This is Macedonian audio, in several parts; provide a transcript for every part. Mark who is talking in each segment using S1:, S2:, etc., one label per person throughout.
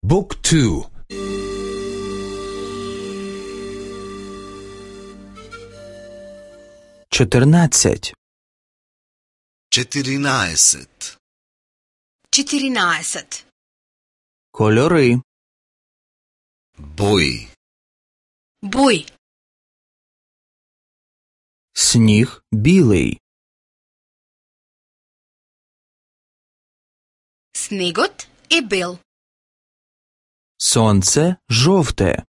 S1: Book 2.
S2: 14.
S3: 14.
S4: 14.
S2: Кольори.
S3: Бои.
S4: Бои.
S2: Сніг білий.
S4: Снегот е бел.
S2: Сонце жовте.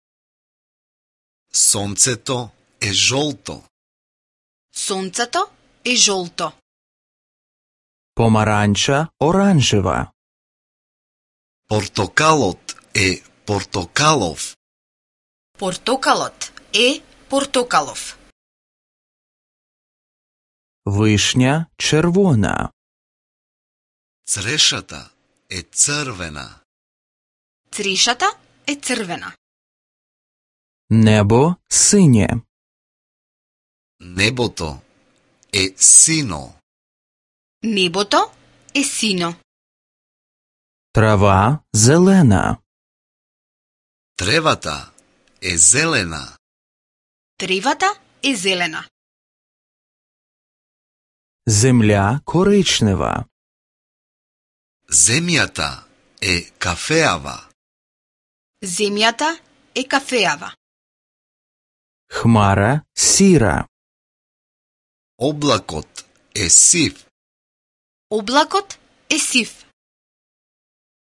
S3: Сонцето е жолто.
S4: Сонцето е жолто.
S2: Помаранча оранжева.
S3: Портокалот е портокалов.
S4: Портокалот е портокалов.
S2: Вишня червона.
S3: Црешата е црвена.
S4: Црешата е црвена.
S2: Небо синє.
S3: Небото е сино.
S4: Небото е сино.
S2: Трава зелена.
S3: Тревата е зелена.
S4: Тревата е зелена.
S2: Земля коричнева.
S3: Земјата е кафеава.
S4: Земјата е кафеава.
S2: Хмара сіра.
S3: Облакот е сив.
S4: Облакот е сив.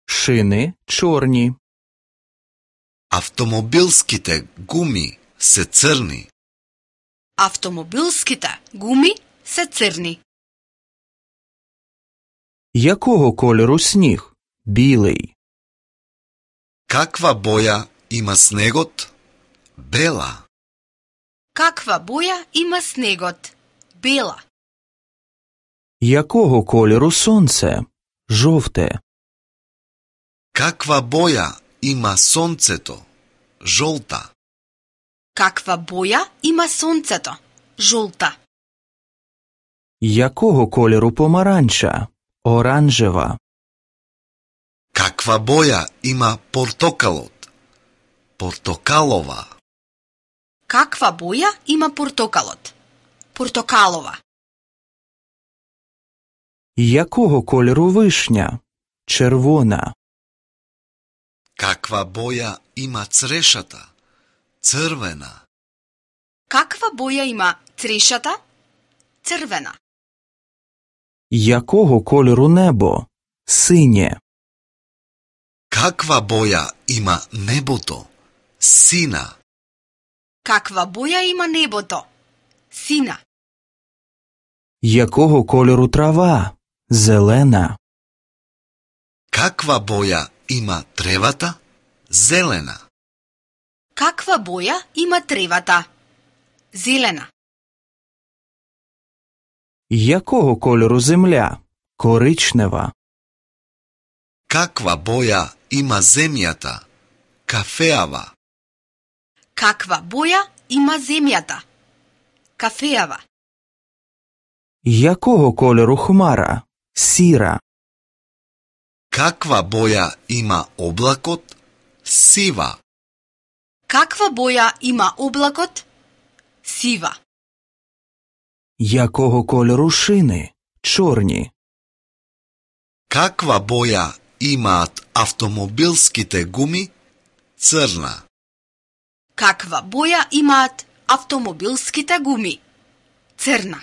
S2: Шини чорні.
S3: Автомобилските гуми се црни.
S4: Автомобилските гуми се црни.
S2: Якого кольору сніг? Білий.
S3: Каква боја има снегот? Бела.
S4: Каква боја има снегот? Бела.
S2: Якого кольору сонце? Жовте.
S3: Каква боја има сонцето? Жолта.
S4: Каква боја има сонцето? Жолта.
S2: Якого кольору помаранча? Оранжева.
S3: Каква боја има портокалот? Портокалова.
S4: Каква боја има портокалот? Портокалова.
S2: Якого кольору вишня? Червона.
S3: Каква боја има црешата? Црвена.
S4: Каква боја има црешата? Црвена.
S2: Якого кольору небо? Синє.
S3: Каква боја има небото? Сина.
S4: Каква боја има небото? Сина.
S2: Якого кольору трава? Зелена.
S3: Каква боја има тревата? Зелена.
S4: Каква боја има тревата? Зелена.
S2: Якого кольору земля? Коричнева.
S3: Каква боја има земјата? Кафеава.
S4: Каква боја има земјата? Кафеава.
S2: Якого кольору хмара? Сіра.
S3: Каква боја има облакот? Сива.
S4: Каква боја има облакот? Сива.
S2: Якого кольору шини? Чорні.
S3: Каква боја имаат автомобилските гуми? Црна.
S4: Каква боја имаат автомобилските гуми? Црна.